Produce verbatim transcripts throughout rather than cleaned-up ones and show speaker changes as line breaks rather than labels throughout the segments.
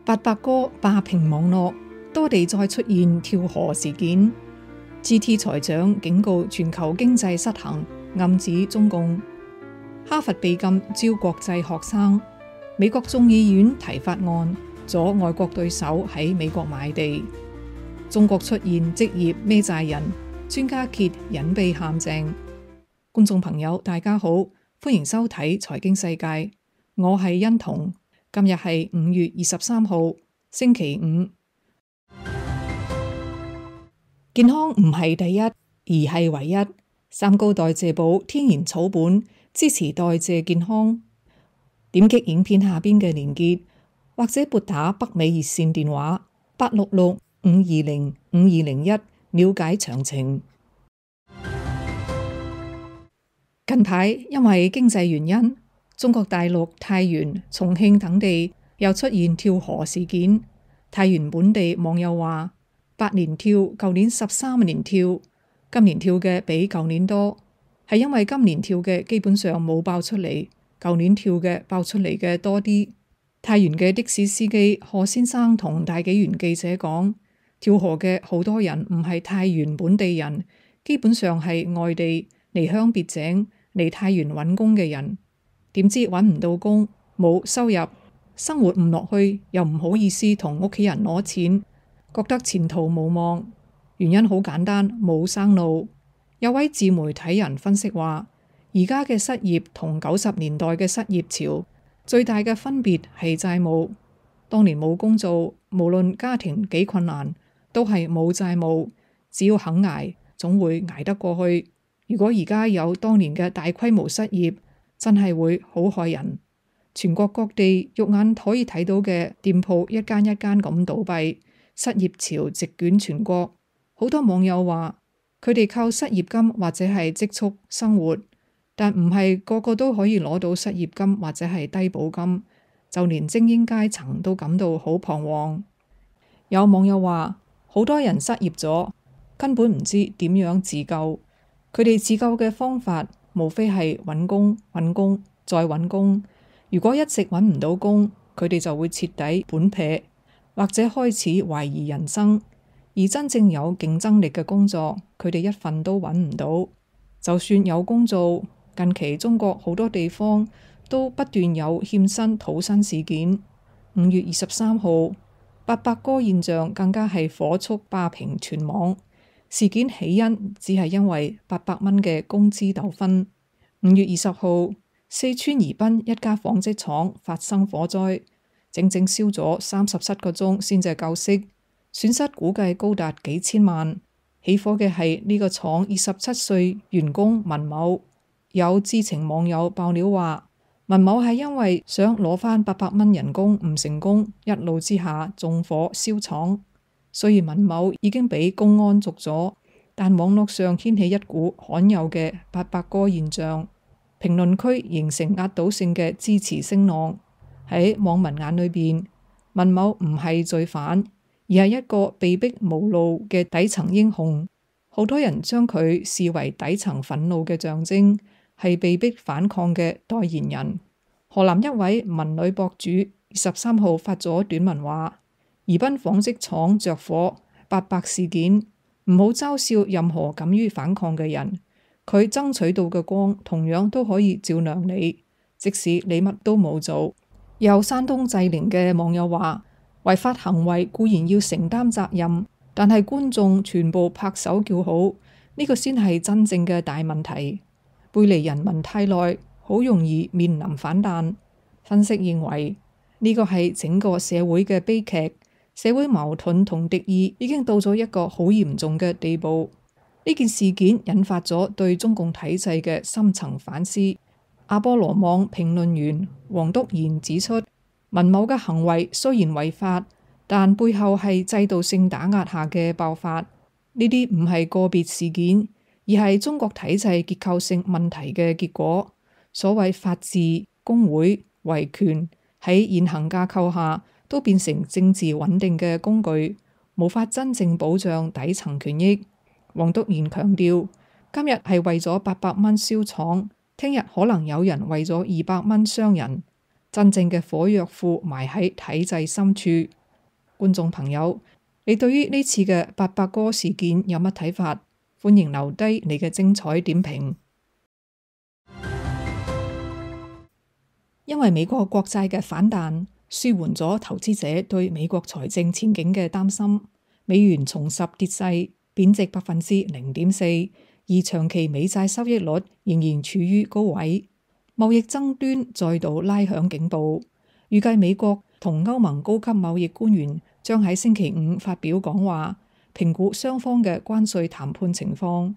八百哥霸屏網絡，多地再出現跳河事件。G T 財長警告全球經濟失衡，暗指中共。哈佛被禁招國際學生。美國眾議院提法案，阻外國對手喺美國買地。中國出現職業孭債人，專家揭隱蔽陷阱。觀眾朋友大家好，歡迎收睇財經世界，我係欣彤。今日係五月二十三號，星期五。健康唔係第一，而係唯一。三高代謝寶天然草本，支持代謝健康。點擊影片下邊嘅連結，或者撥打北美熱線電話八六六五二零五二零一了解詳情。近排因為經濟原因，中國大陸太原、重慶等地又出現跳河事件。太原本地網友話：八年跳，舊年十三年跳，今年跳嘅比舊年多，係因為今年跳嘅基本上冇爆出嚟，舊年跳嘅爆出嚟嘅多啲。太原嘅的，的士司機何先生同大紀元記者講：跳河嘅好多人唔係太原本地人，基本上係外地離鄉別井嚟太原揾工嘅人。點知揾唔到工，冇收入，生活唔落去，又唔好意思同屋企人攞錢，覺得前途無望。原因好簡單，冇生路。有位自媒體人分析話，而家嘅失業同九十年代嘅失業潮最大嘅分別係債務。當年冇工做，無論家庭幾困難，都係冇債務，只要肯捱，總會捱得過去。如果而家有當年嘅大規模失業，真係會好害人。全國各地肉眼可以睇到嘅店鋪一間一間咁倒閉，失業潮席捲全國。好多網友話佢哋靠失業金或者係積蓄生活，但唔係個個都可以攞到失業金或者係低保金，就連精英階層都感到好彷徨。有網友話好多人失業咗，根本唔知點樣自救，佢哋自救嘅方法無非係揾工、揾工、再揾工。如果一直揾唔到工，佢哋就會徹底本撇，或者開始懷疑人生。而真正有競爭力嘅工作，佢哋一份都揾唔到。就算有工做，近期中國好多地方都不斷有欠薪討薪事件。五月二十三號，八百哥現象更加係火速霸屏全網。事件起因只係因為八百蚊嘅工資糾紛。五月二十號，四川宜賓一家紡織廠發生火災，整整燒咗三十七個鐘先至救熄，損失估計高達幾千萬。起火嘅係呢個廠二十七歲員工文某。有知情網友爆料話，文某係因為想攞返八百蚊人工唔成功，一怒之下縱火燒廠。雖然文某已經俾公安捉咗，但網絡上掀起一股罕有嘅八百哥現象，評論區形成壓倒性嘅支持聲浪。喺網民眼裏邊，文某唔係罪犯，而係一個被逼無路嘅底層英雄。好多人將佢視為底層憤怒嘅象徵，係被逼反抗嘅代言人。河南一位文女博主二十三號發咗短文話：宜賓紡織廠着火，八百事件，唔好嘲笑任何敢於反抗嘅人。佢爭取到嘅光，同樣都可以照亮你，即使你乜都冇做。有山東濟寧嘅網友話：違法行為固然要承擔責任，但係觀眾全部拍手叫好，呢個先係真正嘅大問題。背離人民太耐，好容易面臨反彈。分析認為，呢個係整個社會嘅悲劇。社會矛盾同敵意已經到咗一個好嚴重嘅地步。呢件事件引發咗對中共體制嘅深層反思。阿波羅網評論員黃篤賢指出，文某嘅行為雖然違法，但背後係制度性打壓下嘅爆發。呢啲唔係個別事件，而係中國體制結構性問題嘅結果。所謂法治、工會、維權喺現行架構下，都變成政治穩定嘅工具，無法真正保障底層權益。黃篤賢強調，今日係為咗八百蚊燒廠，聽日可能有人為咗二百蚊傷人。真正嘅火藥庫埋喺體制深處。觀眾朋友，你對於呢次嘅八百哥事件有乜睇法？歡迎留低你嘅精彩點評。因為美國國債嘅反彈，舒緩咗投資者對美國財政前景嘅擔心，美元重拾跌勢，貶值百分之零點四，而長期美債收益率仍然處於高位。貿易爭端再度拉響警報，預計美國同歐盟高級貿易官員將喺星期五發表講話，評估雙方嘅關稅談判情況。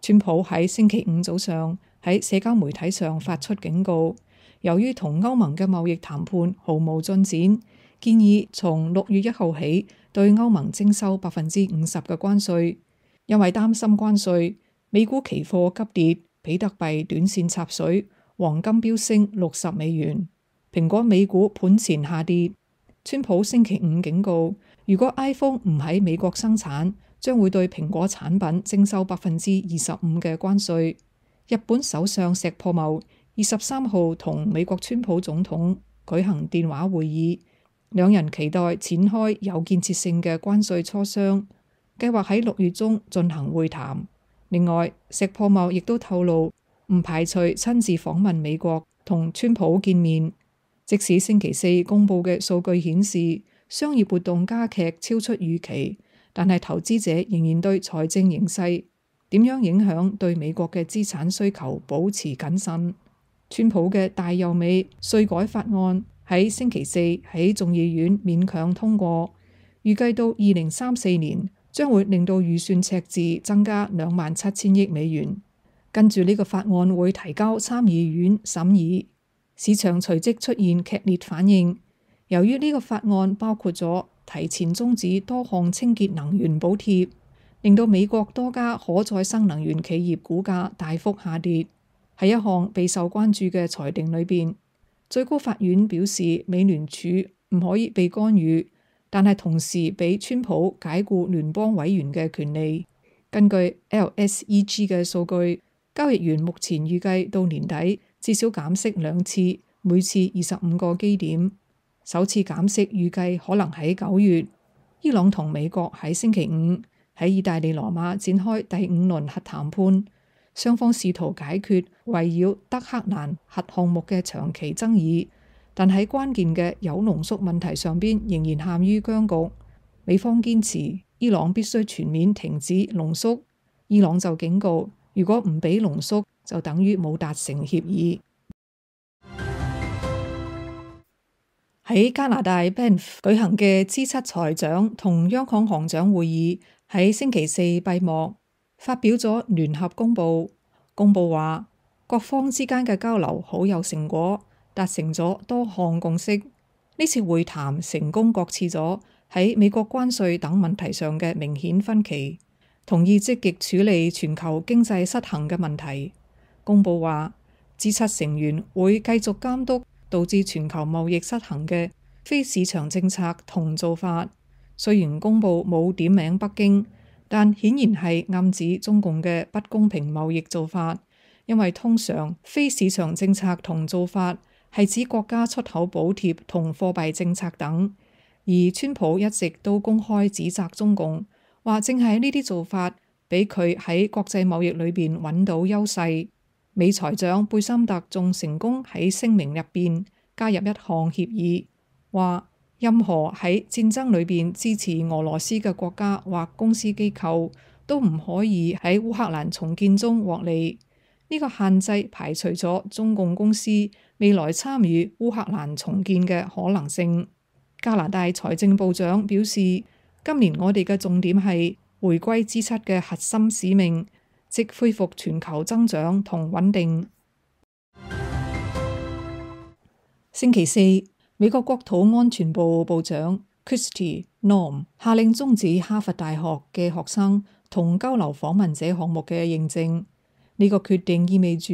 川普喺星期五早上喺社交媒體上發出警告，由於同歐盟嘅貿易談判毫無進展，建議從六月一號起對歐盟徵收百分之五十嘅關稅。因為擔心關稅，美股期貨急跌，比特幣短線插水，黃金飆升六十美元。蘋果美股盤前下跌。川普星期五警告，如果 iPhone 唔喺美國生產，將會對蘋果產品徵收百分之二十五嘅關稅。日本首相石破茂二十三號同美國川普總統舉行電話會議，兩人期待展開有建設性嘅關稅磋商，計劃喺六月中進行會談。另外，石破茂亦都透露唔排除親自訪問美國同川普見面。即使星期四公佈嘅數據顯示商業活動加劇超出預期，但係投資者仍然對財政形勢點樣影響對美國嘅資產需求保持謹慎。川普嘅大又美稅改法案喺星期四喺眾議院勉強通過，預計到二零三四年將會令到預算赤字增加兩萬七千億美元。跟住呢個法案會提交參議院審議，市場隨即出現劇烈反應。由於呢個法案包括咗提前終止多項清潔能源補貼，令到美國多家可再生能源企業股價大幅下跌。喺一項備受關注嘅裁定裏邊，最高法院表示美聯儲唔可以被干預，但係同時俾川普解僱聯邦委員嘅權利。根據 L S E G 嘅數據，交易員目前預計到年底至少減息兩次，每次二十五個基點。首次減息預計可能喺九月。伊朗同美國喺星期五喺意大利羅馬展開第五輪核談判。雙方試圖解決圍繞德黑蘭核項目嘅長期爭議，但喺關鍵嘅鈾濃縮問題上邊仍然陷於僵局。美方堅持伊朗必須全面停止濃縮，伊朗就警告，如果唔俾濃縮，就等於冇達成協議。喺加拿大 Banff 舉行嘅 G 七財長同央行行長會議喺星期四閉幕。發表咗聯合公報，公報話各方之間嘅交流好有成果，達成咗多項共識。呢次會談成功擱置咗喺美國關稅等問題上嘅明顯分歧，同意積極處理全球經濟失衡嘅問題。公報話 G 七成員會繼續監督導致全球貿易失衡嘅非市場政策同做法。雖然公報冇點名北京，但顯然係暗指中共嘅不公平貿易做法，因為通常非市場政策同做法係指國家出口補貼同貨幣政策等，而川普一直都公開指責中共，話正係呢啲做法俾佢喺國際貿易裏邊揾到優勢。美財長貝森特仲成功喺聲明入邊加入一項協議，話任何喺戰爭裏邊支持俄羅斯嘅國家或公司機構都唔可以喺烏克蘭重建中獲利。呢個限制排除咗中共公司未來參與烏克蘭重建嘅可能性。加拿大財政部長表示，今年我哋嘅重點係回歸 G 七嘅核心使命，即恢復全球增長同穩定。星期四，美國國土安全部部長 Kristi Noem 下令終止哈佛大學嘅學生同交流訪問者項目嘅認證。呢個決定意味住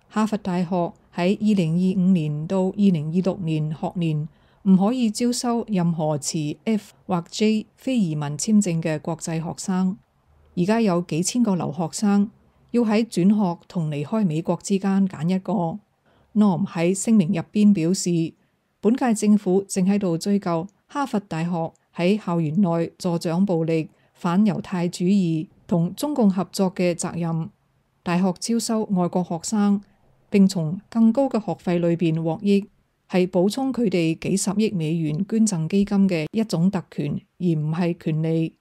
哈佛大學喺二零二五年到二零二六年學年唔可以招收任何持 F 或 J 非移民簽證嘅國際學生。而家有幾千個留學生要喺轉學同離開美國之間揀一個。Noem 喺聲明入邊表示，本屆政府正喺度追究哈佛大學喺校園內助長暴力、反猶太主義同中共合作嘅責任。大學招收外國學生並從更高嘅學費裏邊獲益，係補充佢哋幾十億美元捐贈基金嘅一種特權，而唔係權利。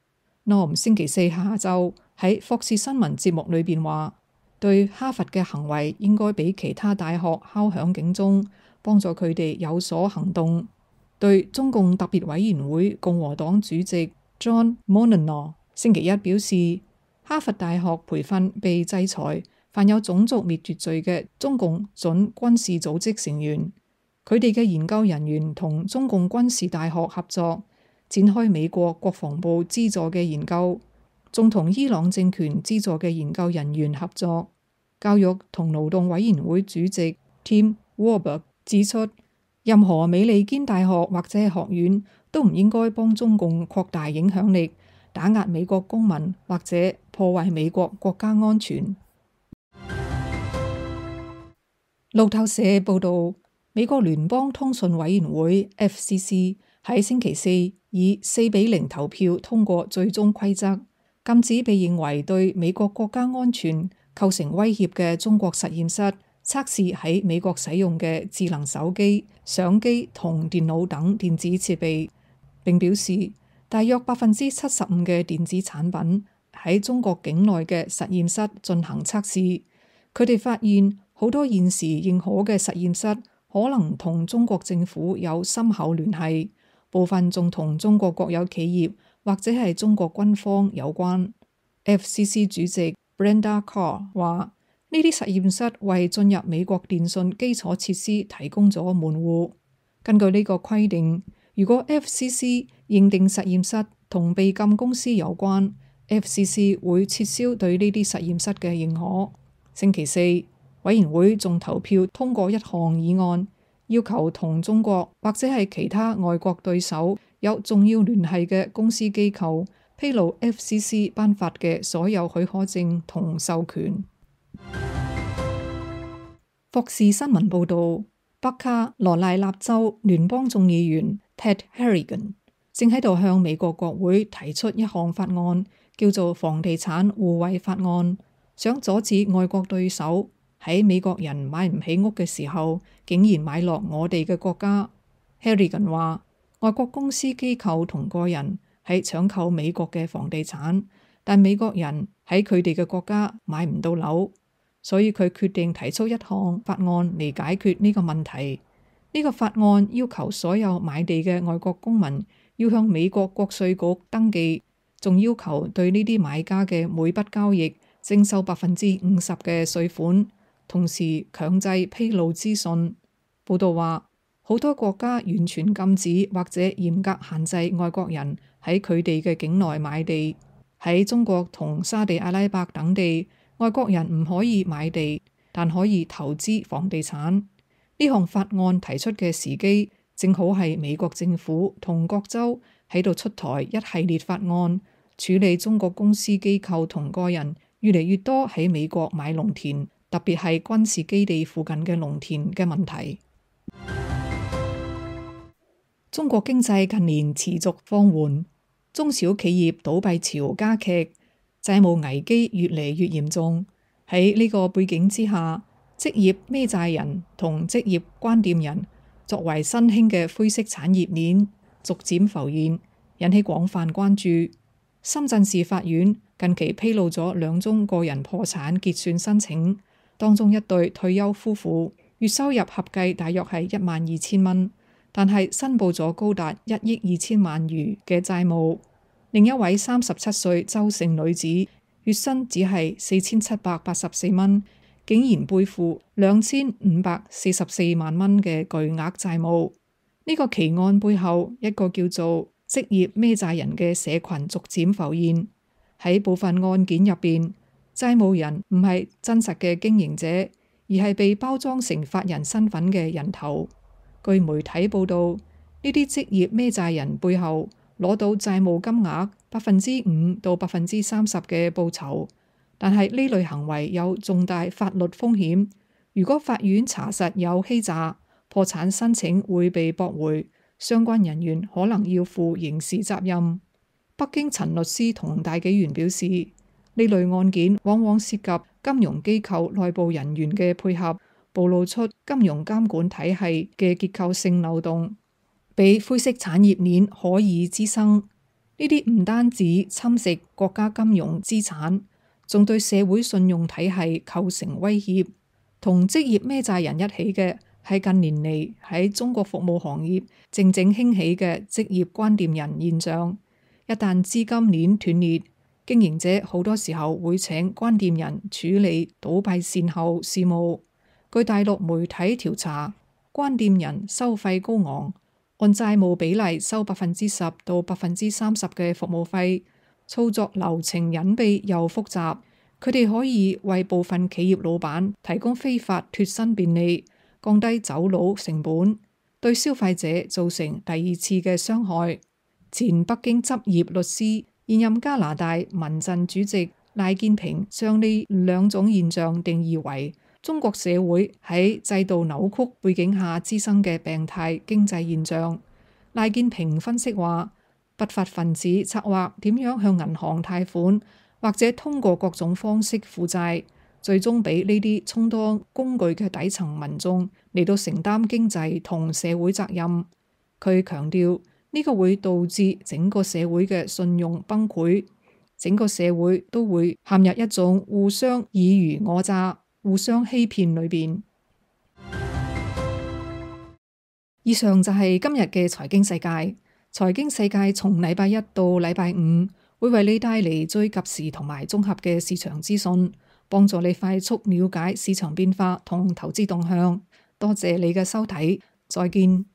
Norm 星期四下晝喺霍士新聞節目裏邊話，對哈佛嘅行為應該比其他大學敲響警鐘，幫助佢哋有所行動。對中共特別委員會共和黨主席 John Monahan 星期一表示，哈佛大學培訓被制裁犯有種族滅絕罪嘅中共準軍事組織成員，佢哋嘅研究人員同中共軍事大學合作，展開美國國防部資助嘅研究，仲同伊朗政權資助嘅研究人員合作。教育同勞動委員會主席 Tim Walberg 指出，任何美利堅大學或者學院都唔應該幫中共擴大影響力，打壓美國公民或者破壞美國國家安全。路透社報道，美國聯邦通訊委員會 F C C 喺星期四以四比零投票通過最終規則，禁止被認為對美國國家安全構成威脅嘅中國實驗室測試喺美國使用嘅智能手機、相機同電腦等電子設備，並表示大約百分之七十五嘅電子產品喺中國境內嘅實驗室進行測試。佢哋發現好多現時認可嘅實驗室可能同中國政府有深厚聯繫，部分仲同中國國有企業或者係中國軍方有關。F C C 主席 Brenda Carr 話：呢啲實驗室為進入美國電信基礎設施提供咗門戶。根據呢個規定，如果 F C C 認定實驗室同被禁公司有關， F C C 會撤銷對呢啲實驗室嘅認可。星期四，委員會仲投票通過一項議案，要求同中國或者係其他外國對手有重要聯繫嘅公司機構披露 F C C 頒發嘅所有許可證同授權。霍士新聞報導，北卡羅來納州聯邦眾議員 Ted Harrigan 正喺度向美國國會提出一項法案，叫做房地產互惠法案，想阻止外國對手喺美國人買唔起屋嘅時候，竟然買落我哋嘅國家。Harrigan 話，外國公司機構同個人喺搶購美國嘅房地產，但美國人喺佢哋嘅國家買唔到樓，所以佢決定提出一項法案嚟解決呢個問題。呢個法案要求所有買地嘅外國公民要向美國國稅局登記，仲要求對呢啲買家嘅每筆交易徵收百分之五十嘅稅款，同時強制披露資訊。報道話，好多國家完全禁止或者嚴格限制外國人喺佢哋嘅境內買地。喺中國同沙地阿拉伯等地，外國人唔可以買地，但可以投資房地產。呢項法案提出嘅時機，正好係美國政府同各州喺度出台一系列法案，處理中國公司機構同個人越嚟越多喺美國買農田，特別係軍事基地附近嘅農田嘅問題。中國經濟近年持續放緩，中小企業倒閉潮加劇，債務危機越嚟越嚴重。喺呢個背景之下，職業孭債人同職業關店人作為新興嘅灰色產業鏈逐漸浮現，引起廣泛關注。深圳市法院近期披露咗兩宗個人破產結算申請，當中一對退休夫婦月收入合計大約係一萬二千蚊，但係申報咗高達一億二千萬餘嘅債務。另一位三十七歲周姓女子月薪只係四千七百八十四蚊，竟然背負兩千五百四十四萬蚊嘅巨額債務。呢個奇案背後，一個叫做職業孭債人嘅社群逐漸浮現。喺部分案件入邊，債務人唔係真實嘅經營者，而係被包裝成法人身份嘅人頭。據媒體報道，呢啲職業孭債人背後攞到債務金額百分之五到百分之三十嘅報酬，但係呢類行為有重大法律風險。如果法院查實有欺詐，破產申請會被駁回，相關人員可能要負刑事責任。北京陳律師同大紀元表示，呢類案件往往涉及金融機構內部人員嘅配合，暴露出金融監管體系嘅結構性漏洞，俾灰色產業鏈可以滋生。呢啲唔單止侵蝕國家金融資產，仲對社會信用體系構成威脅。同職業孭債人一起嘅係近年嚟喺中國服務行業靜靜興起嘅職業關店人現象。一旦資金鏈斷裂，經營者好多時候會請關店人處理倒閉善後事務。據大陸媒體調查，關店人收費高昂，按債務比例收百分之十到百分之三十嘅服務費，操作流程隱秘又複雜。佢哋可以為部分企業老闆提供非法脫身便利，降低走佬成本，對消費者造成第二次嘅傷害。前北京執業律師、現任加拿大民陣主席賴建平將呢兩種現象定義為中國社會喺制度扭曲背景下滋生嘅病態經濟現象。賴建平分析話，不法分子策劃點樣向銀行貸款，或者通過各種方式負債，最終俾呢啲充當工具嘅底層民眾嚟到承擔經濟同社會責任。佢強調呢個會導致整個社會嘅信用崩潰，整個社會都會陷入一種互相爾虞我詐、互相欺騙裏邊。以上就係今日嘅財經世界。財經世界從禮拜一到禮拜五會為你帶嚟最及時同埋綜合嘅市場資訊，幫助你快速了解市場變化同投資動向。多謝你嘅收睇，再見。